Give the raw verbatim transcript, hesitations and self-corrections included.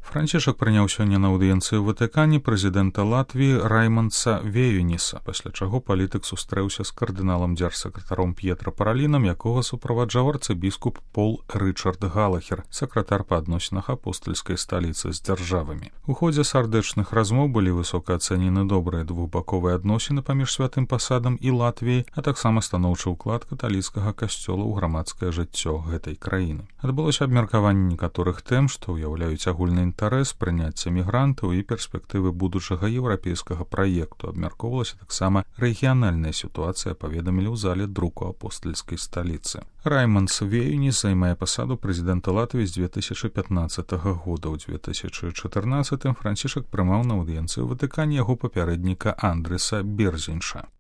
Францішак прыняў сёння на аўдыенцыі ў Ватыкане прэзідэнта Латвіі Раймандса Веюніса, пасля чаго палітык сустрэўся з кардыналам дзяржсакратаром П'етра Паралінам, якога суправаджаў арцыбіскуп Пол Рычард Галахер, сакратар па адносінах апостальскай сталіцы з дзяржавамі. У ходзе сардэчных размоў былі высока ацэнены добрыя двухбаковыя адносіны паміж святым пасадам і Латвіяй, а таксама станоўчы ўклад каталіцкага касцёла ў грамадскае жыццё гэтай краіны. Адбылося абмеркаванне некаторых тэм, што ўяўляюць агульны інтарэс, прыняцця мігрантаў і перспектывы будучага еўрапейскага праекту. Абмяркоўвалася таксама рэгіянальная сітуацыя, паведамілі ў зале друку апостальскай сталіцы. Раймандс Веюніс займае пасаду прэзідэнта Латвіі з две тысячы пятнаццатага года. У две тысячы чатырнаццатым Францішак прымаў на аўдыенцыі ў Ватыкане яго папярэдніка Андрэса Берзінша.